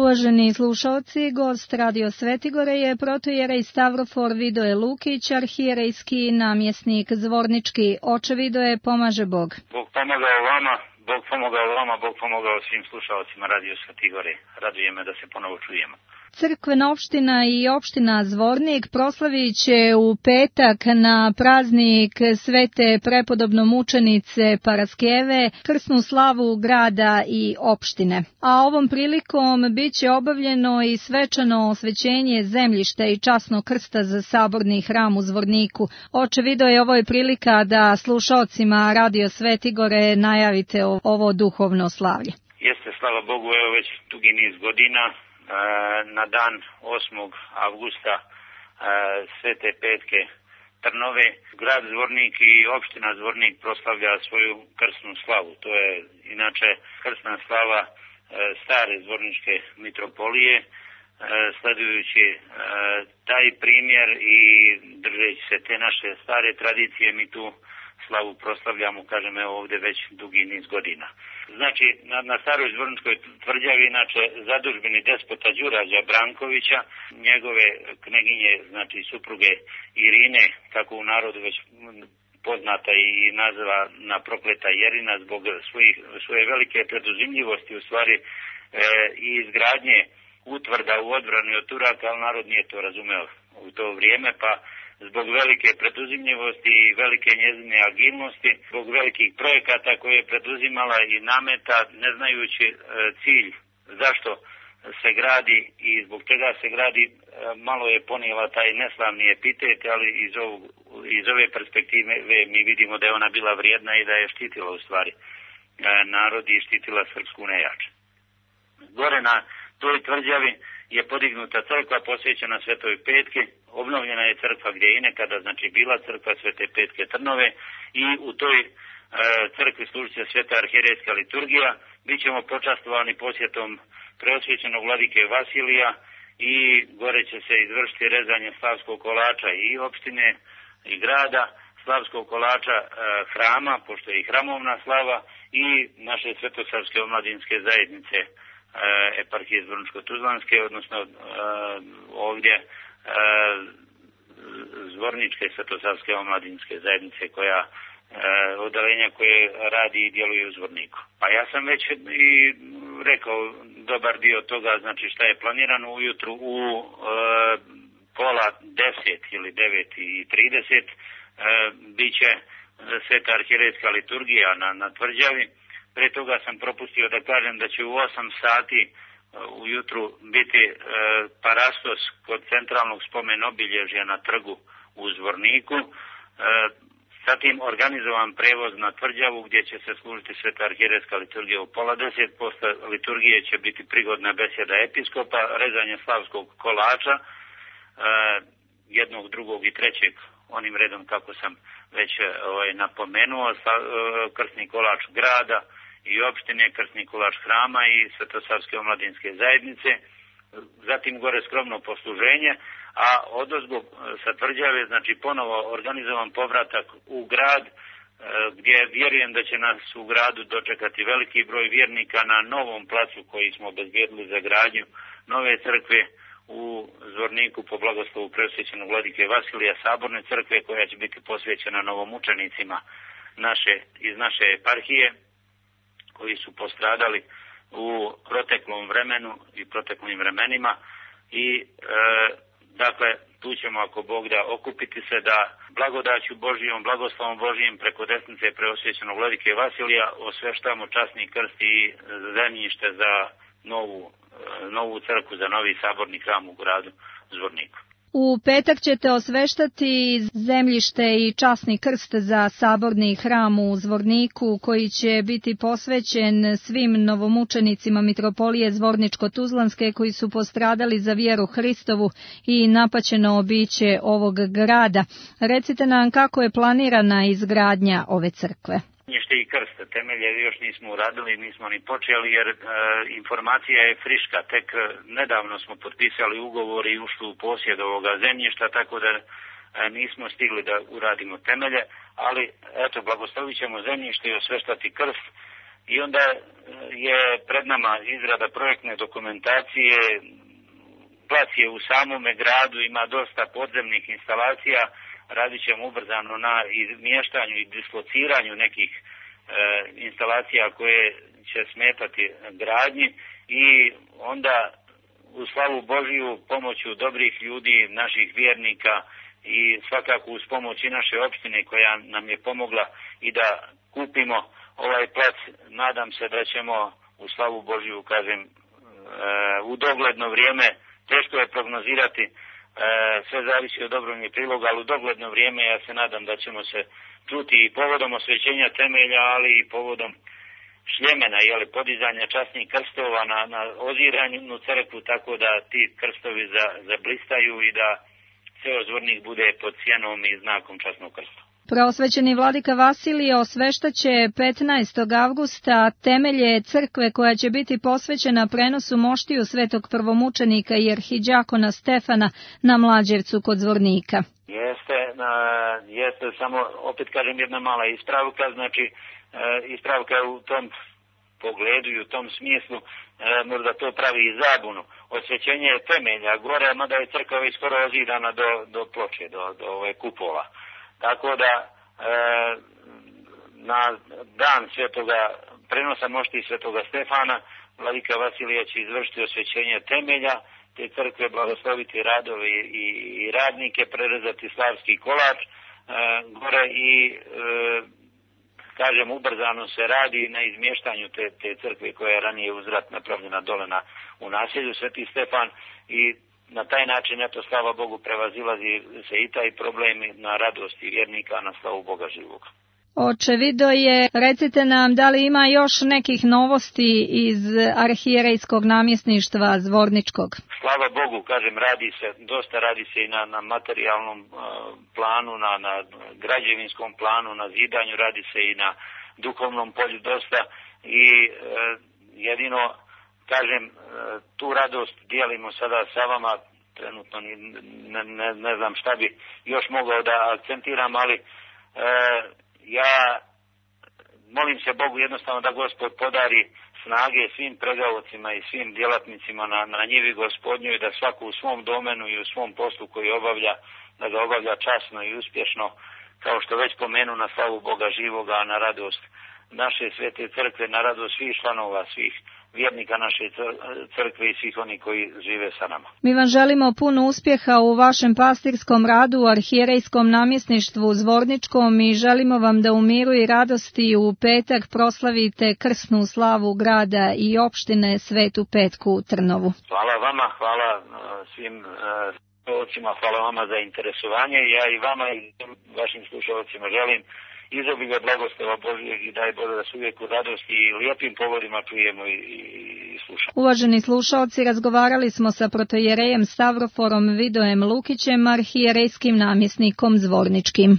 Uvaženi slušalci, gost Radio Svetigore je protojerej Stavrofor Vidoje Lukić, arhijerejski namjesnik Zvornički. Oče Vidoje, pomaže Bog. Bog pomogao vama, Bog pomogao vama, Bog pomogao svim slušalcima Radio Svetigore. Raduje me da se ponovo čujemo. Crkvena opština i opština Zvornik proslavit će u petak na praznik Svete prepodobno mučenice Paraskeve krsnu slavu grada i opštine. A ovom prilikom bit će obavljeno i svečano osvećenje zemljišta i časnog krsta za saborni hram u Zvorniku. Oče Vidoje, ovo je prilika da slušalcima Radio Svetigore najavite ovo duhovno slavlje. Jeste, slava Bogu, evo već dugi niz godina. Na dan 8. avgusta Svete petke Trnove, grad Zvornik i opština Zvornik proslavlja svoju krsnu slavu. To je inače krsna slava stare zvorničke mitropolije. Sledujući taj primjer i držeći se te naše stare tradicije, mi tu slavu proslavljamo, kažem, evo ovdje već dugi niz godina. Znači, na staroj Zvorničkoj tvrđavi, inače, zadužbeni despota Đurađa Brankovića, njegove kneginje, znači supruge Irine, kako u narodu već poznata i naziva na prokleta Jerina, zbog svoje velike preduzimljivosti, u stvari, i izgradnje utvrda u odbrani od Turaka, ali narod nije to razumeo u to vrijeme, pa zbog velike preduzimljivosti i velike njezine agilnosti, zbog velikih projekata koje je preduzimala i nameta, ne znajući cilj zašto se gradi i zbog čega se gradi, malo je ponijela taj neslavni epitet, ali iz ove perspektive mi vidimo da je ona bila vrijedna i da je štitila u stvari narod i štitila srpsku nejač. Gore na toj tvrđavi je podignuta crkva posvećena Svetoj petki, obnovljena je crkva gdje je i nekada, znači, bila crkva Svete petke Trnove, i u toj crkvi služit će sveta arhijerejska liturgija. Bićemo počastovani posjetom preosvećenog vladike Vasilija i gore će se izvršiti rezanje slavskog kolača i opštine i grada, slavskog kolača hrama, pošto je i hramovna slava, i naše svetosavske omladinske zajednice eparhije Zvorničko-Tuzlanske, odnosno ovdje Zvorničke svetosavske omladinske zajednice, koja odelenja koje radi i djeluje u Zvorniku. Pa ja sam već i rekao dobar dio toga, znači šta je planirano ujutru u 9:30 ili 9:30 bit će sveta arhijerejska liturgija na tvrđavi. Pre toga sam propustio da kažem da će u 8 sati ujutru biti parastos kod centralnog spomen obilježja na trgu u Zvorniku. Zatim organizovan prevoz na tvrđavu gdje će se služiti sveta arhijerejska liturgija u 9:30. Posle liturgije će biti prigodna besjeda episkopa, rezanje slavskog kolača, jednog, drugog i trećeg, onim redom kako sam već napomenuo, krsni kolač grada i opštine, krsni kolač hrama i svetosavske omladinske zajednice. Zatim gore skromno posluženje, a odozgo sa tvrđave, znači, ponovo organizovan povratak u grad, gdje vjerujem da će nas u gradu dočekati veliki broj vjernika na novom placu koji smo obezbijedili za gradnju nove crkve u Zvorniku po blagoslovu preosvećenog vladike Vasilija, saborne crkve koja će biti posvećena novomučenicima iz naše eparhije koji su postradali u proteklom vremenu i proteklim vremenima i dakle tu ćemo, ako Bog da, okupiti se da blagodaću Božijom, blagoslovom Božijim preko desnice preosvećenog vladike Vasilija osveštamo časni krst i zemljište za novu crkvu, za novi saborni hram u gradu Zvorniku. U petak ćete osveštati zemljište i časni krst za saborni hram u Zvorniku, koji će biti posvećen svim novomučenicima mitropolije Zvorničko-Tuzlanske koji su postradali za vjeru Hristovu i napaćeno obiće ovog grada. Recite nam kako je planirana izgradnja ove crkve. I krste, temelje još nismo uradili, nismo ni počeli jer informacija je friška. Tek nedavno smo potpisali ugovor i ušli u posjed ovoga zemljišta, tako da nismo stigli da uradimo temelje, ali eto, blagoslovit ćemo zemljište i osveštati krst i onda je pred nama izrada projektne dokumentacije. Plac je u samome gradu, ima dosta podzemnih instalacija, radit ćemo ubrzano na izmještanju i dislociranju nekih instalacija koje će smetati gradnji i onda u slavu Božiju pomoću dobrih ljudi, naših vjernika i svakako uz pomoć i naše opštine koja nam je pomogla i da kupimo ovaj plac, nadam se da ćemo u slavu Božiju, kažem, u dogledno vrijeme, teško je prognozirati, sve zavisi od dobrovoljnih priloga, ali u dogledno vrijeme ja se nadam da ćemo se čuti i povodom osvećenja temelja, ali i povodom šljemena, podizanja časnih krstova na oziranju crkvu, tako da ti krstovi zablistaju i da ceo Zvornik bude pod sjenom i znakom časnog krsta. Preosvećeni vladika Vasilije osveštaće 15. avgusta temelje crkve koja će biti posvećena prenosu moštiju svetog prvomučenika i arhidjakona Stefana na Mlađevcu kod Zvornika. Jeste, samo opet kažem jedna mala ispravka, znači ispravka u tom pogledu i u tom smislu možda to pravi i zabunu. Osvećenje je temelja gore, mada je crkva već skoro ozidana do ploče, do ove kupola. Tako da na dan svetoga prenosa mošti svetoga Stefana vladika Vasilije će izvršiti osvećenje temelja te crkve, blagosloviti radove i radnike, prerezati slavski kolač gore i kažem ubrzano se radi na izmještanju te crkve koja je ranije uzvrat napravljena dole u naselju Sveti Stefan i na taj način, eto, slava Bogu, prevazilazi se i taj problem na radosti vjernika, na slavu Boga živog. Očevido je, recite nam, da li ima još nekih novosti iz arhijerejskog namjesništva Zvorničkog? Slava Bogu, kažem, dosta radi se i na materijalnom planu, na građevinskom planu, na zidanju, radi se i na duhovnom polju dosta i jedino, kažem, tu radost dijelimo sada sa vama, trenutno ne znam šta bi još mogao da akcentiram, ali ja molim se Bogu jednostavno da Gospod podari snage svim pregaocima i svim djelatnicima na njivi Gospodnju i da svako u svom domenu i u svom poslu koji obavlja, da ga obavlja časno i uspješno, kao što već pomenu, na slavu Boga živoga, na radost naše svete crkve, na radost svih članova, svih vjernika naše crkve i svih oni koji žive sa nama. Mi vam želimo puno uspjeha u vašem pastirskom radu u arhijerejskom namjesništvu Zvorničkom i želimo vam da u miru i radosti u petak proslavite krsnu slavu grada i opštine Svetu Petku u Trnovu. Hvala vama, hvala svim slušalcima, hvala vama za interesovanje. Ja i vama i vašim slušalcima želim izobilje blagoslova Božijeg i daj Bože da se uvijek u radosti i lijepim povodima čujemo i slušamo. Uvaženi slušalci, razgovarali smo sa protojerejem Stavroforom Vidojem Lukićem, arhijerejskim namjesnikom Zvorničkim.